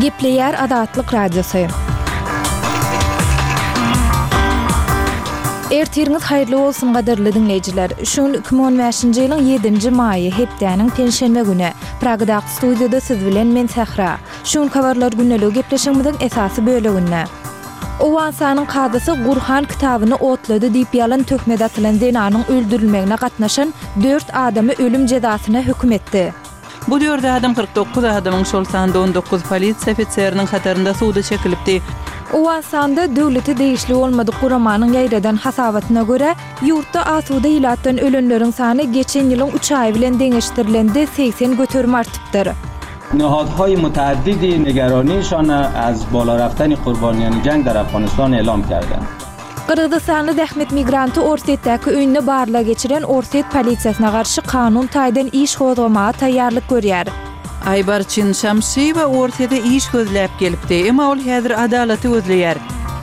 Gepleýär Azatlyk Radiosy. Ertiriňiz haýyrly bolsun gadyrly diňleýjiler. Şu gün 2015-nji ýylyň 7-nji maýy, hepdäniň penşenbe güni. Pragadaky studiýada siz bilen men Sähra. Şu günki habarlar gündeligi gepleşigimiziň esasy böleginde. Owganystanyň kazysy Gurhan kitabyny otlady diýip ýalan töhmet atylan zenanyň öldürilmegine gatnaşan dört adamy ölüm jezasyna höküm etdi. Bu dört adam 49 adamyň, şol sanda 19 polisiýa ofiseriniň hatarynda suda çekilipdi. Owganystanda döwlete degişli bolmadyk guramanyň ýaýradan hasabatyna görä, ýurtda asuda ilatdan ölenleriň sany geçen ýylyň üç aýy bilen deňeşdirilende 80% artypdyr. نهادهای متعددی نگرانیشان از بالا رفتن قربانیان جنگ در افغانستان اعلام کردند. Gyrgyzystanly zähmet migranty Orsýetdäki öýünde barlag geçiren orsýet polisiýasyna garşy kanun taýdan iş gozgamaga taýýarlyk görýär. Aýbarçyn Şamşyýewa Orsýete iş gözläp gelipdi, emma ol häzir adalaty gözleýär.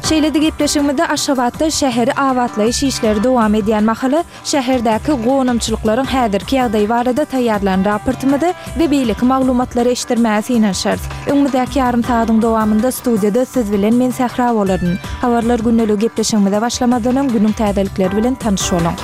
Şeýle-de gepleşigimizde Aşgabatda şäheri abatlaýyş işleri dowam edýän mahaly Şäherdäki gonamçylyklaryň häzirki ýagdaýy barada taýýarlan raportymyzy we beýleki maglumatlary eşitdirmäge synanyşarys. Öňümizdäki ýarym sagadyň dowamynda studiýada siz bilen men Sähra bolaryn. Habarlar gündeligi gepleşigimize başlamazdan öň günüň täzelikleri bilen tanyş boluň.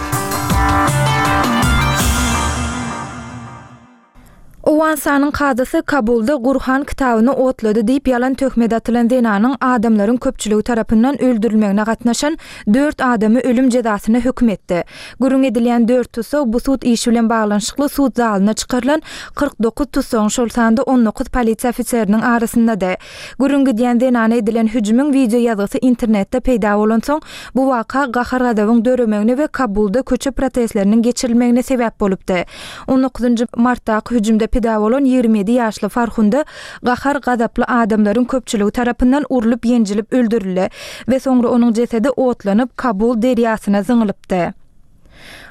Owganystanyň kazysy Kabulda Gurhan kitabyny otlady diýip ýalan töhmet atylan zenanyň adamlaryň köpçüligi tarapyndan öldürilmegine gatnaşan dört adamy ölüm jezasyna höküm etdi. Gürrüň edilýän dört tussag bu sud işi bilen baglanyşykly sud zalyna çykarylan 49 tussagyň, şol sanda 19 polisiýa ofiseriniň arasyndady. Gürrüň gidýän zenana edilen hüjümiň wideo ýazgysy internetde peýda bolansoň, bu waka gahar-gazabyň döremegine we Kabulda köçe protestleriniň geçirilmegine sebäp bolupdy. On dokuzynjy martdaky hüjümde pida bolan 27 ýaşly Farhunda gahar-gazaply adamlaryň köpçüligi tarapyndan urlup-ýenjilip öldürildi we soňra onuň jesedi otlanyp, Kabul derýasyna zyňylypdy.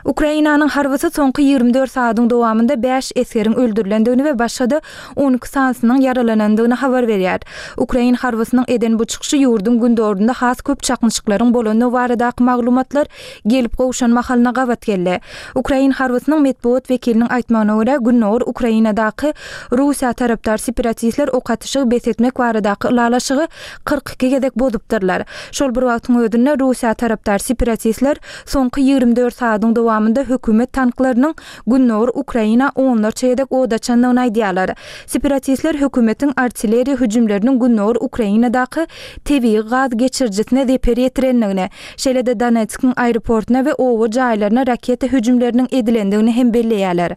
Ukrainanyň harbysy soňky 24 sagadyň dowamynda bäş esgeriň öldürilendigini we başga-da 12 sanysynyň ýaralanandygyny habar berýär. Ukrain harbysynyň eden bu çykyşy ýurduň gündogarynda has köp çaknyşyklaryň bolandygy baradaky maglumatlar gelip gowşan mahalyna gabat geldi. Ukrain harbysynyň metbugat wekiliniň aýtmagyna görä, gündogar Ukrainadaky Russiýa tarapdar separatistler ok atyşygy bes etmek baradaky ylalaşygy 42 gezek bozupdyrlar. Şol bir wagtyň özünde, Russiýa tarapdar separatistler soňky 24 sagadyň dowamynda hökümet tanklarynyň gündogar Ukraina onlarça gezek od açandygyny aýdýarlar. Separatistler hökümetiň artilleriýa hüjümleriniň gündogar Ukrainadaky tebigy gaz geçirijisine zeper ýetirendigini, Şeýle-de Donetskiň aeroportuna we oba jaýlaryna raketa hüjümleriniň edilendigini hem belleýärler.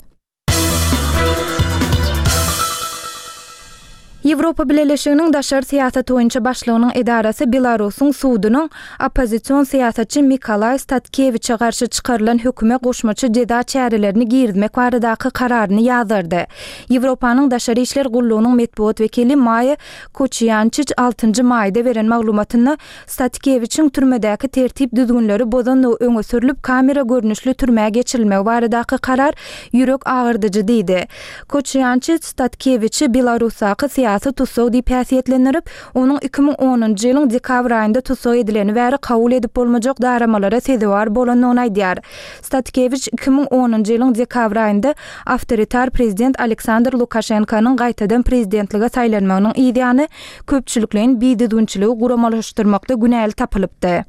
Ýewropa Bileleşiginiň daşary syýasat boýunça başlygynyň edarasy Belarusyň sudunyň oppozision syýasatçy Mikalaý Statkewiçe garşy çykarylan höküme goşmaça jeza çärelerini girizmek baradaky kararyny ýazgardy. Ýewropanyň Daşary işler gullugynyň metbugat wekili Maýa Koçiýançiç altynjy maýda beren maglumatynda Statkewiçiň türmedäki tertip-düzgünleri bozandygy öňe sürlüp, kamera görnüşli türmä geçirilmegi baradaky karar ýürek agyrdyjy diýdi. Koçýançi Statkewiçi Belarusdaky syýasy tussag diýip häsiýetlendirip, onuň 2010-njy ýylyň dekabr aýynda tussag edileni bäri kabul edip bolmajak daramalara sezewar bolandygyny aýdýar. Statkewiç 2010-njy ýylyň dekabr aýynda awtoritar prezident Aleksandr Lukaşenkonyň gaýtadan prezidentlige saýlanmagynyň yzýany köpçülikleýin bidüzgünçiligi guramalaşdyrmakda günäli tapylypdy.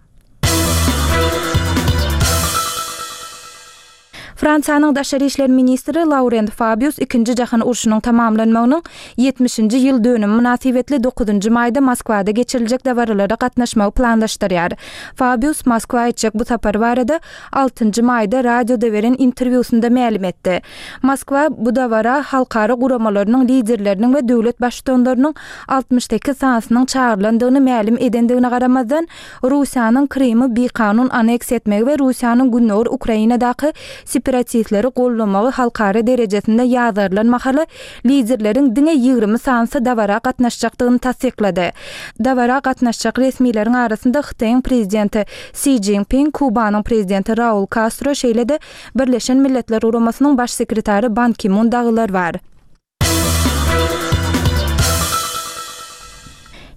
Fransiýanyň daşary işler ministri Laurent Fabius Ikinji jahan urşunyň tamamlanmagynyň ýetmişinji ýyl dönümi mynasybetli dokuzynjy maýda Moskwada geçiriljek dabaralara gatnaşmagy planlaşdyrýar. Fabius Moskwa etjek bu sapary barada altynjy maýda radioda beren interwýusynda mälim etdi. Moskwa bu dabara halkara guramalarynyň liderleriniň we döwlet baştutanlarynyň 68 sanysynyň çagyrylandygyny mälim edendigine garamazdan, Russiýanyň Krymy bikanun aneksiýa etmegi we Russiýanyň gündogar Ukrainadaky separatistleri goldamagy halkara derejesinde ýazgarylan mahaly liderleriň diňe 20 sanysy dabara gatnaşjakdygyny tassyklady. Dabara gatnaşjak resmileriň arasynda Hytaýyň prezidenti Si Jinping, Kubanyň prezidenti Raul Kastro, şeýle-de Birleşen Milletler Guramasynyň Baş sekretary Ban Ki-mun dagylar bar.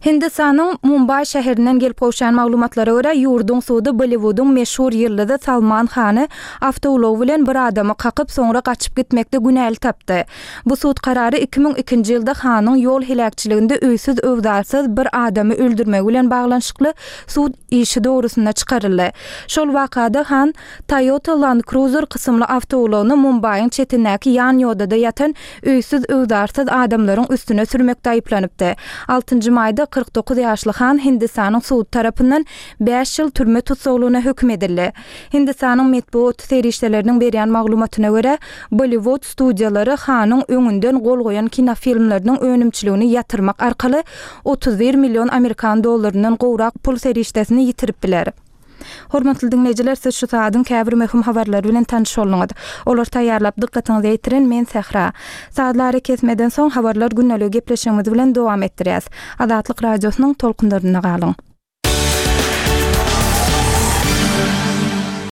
Hindistanyň Mumbaý şäherinden gelip gowşan maglumatlara görä, ýurduň sudy Bolliwudyň meşhur ýyldyzy Salman Hany awtoulagy bilen bir adamy kakyp, soňra gaçyp gitmekde günäli tapdy. Bu sud karary 2002-nji ýylda Hanyň ýol heläkçiliginde öýsüz-öwzarsyz bir adamy öldürmegi bilen baglanyşykly sud işi dogrusynda çykaryldy. Şol wakada Han Toyota Land Cruiser kysymly awtoulagyny Mumbaýyň çetindäki ýan ýodada ýatan öýsüz-öwzarsyz adamlaryň üstüne sürmekde aýyplanypdy. Altynjy maýda 49 ýaşly Han Hindistanyň sudy tarapyndan bäş ýyl türme tussaglygyna höküm edildi. Hindistanyň metbugat serişdeleriniň berýän maglumatyna görä, Bollywood studiýalary Hanyň öňünden gol goýan kinofilmleriniň önümçiligini ýatyrmak arkaly 31 million amerikan dollaryndan gowrak pul serişdesini ýitirip biler. Hormatly diňleýjiler, siz şu sagadyň käbir möhüm habarlary bilen tanyş bolduňyz. Olary taýýarlap dykgatyňyza ýetiren men Sähra. Sazly arakesmeden soň habarlar gündeligi gepleşigimiz bilen dowam etdirýäs. Azatlyk Radiosynyň tolkunlarynda galyň.